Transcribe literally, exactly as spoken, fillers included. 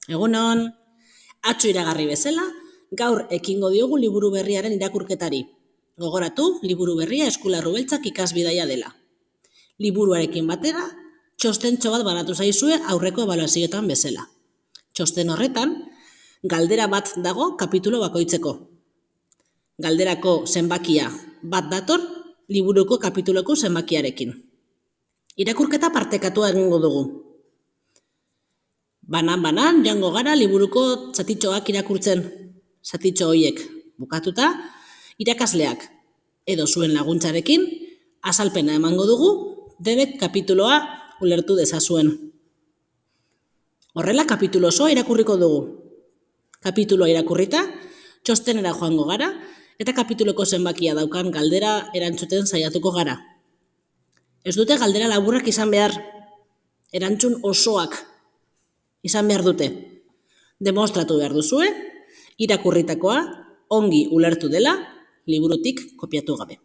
Egunon, atzo iragarri bezala, gaur ekingo diogu liburu berriaren irakurketari. Gogoratu, liburu berria Eskularru Beltzak ikasbidaia dela. Liburuarekin batera, txostentxo bat banatu zaizue aurreko ebaluazioetan bezala. Txosten horretan, galdera bat dago kapitulo bakoitzeko. Galderako zenbakia bat dator, liburuko kapituloko zenbakiarekin. Irakurketa partekatua egingo dugu. Banan-banan joango gara liburuko zatitxoak irakurtzen, zatitxo horiek bukatuta, irakasleak edo zuen laguntzarekin azalpena emango dugu, denek kapituloa ulertu dezazuen. Horrela kapitulo osoa irakurriko dugu. Kapituloa irakurrita, txostenera joango gara, eta kapituloko zenbakia daukan galdera erantzuten saiatuko gara. Ez dute galdera laburrak izan behar, erantzun osoak izan behar dute. Demostratu behar duzue, irakurritakoa ongi ulertu dela, liburutik kopiatu gabe.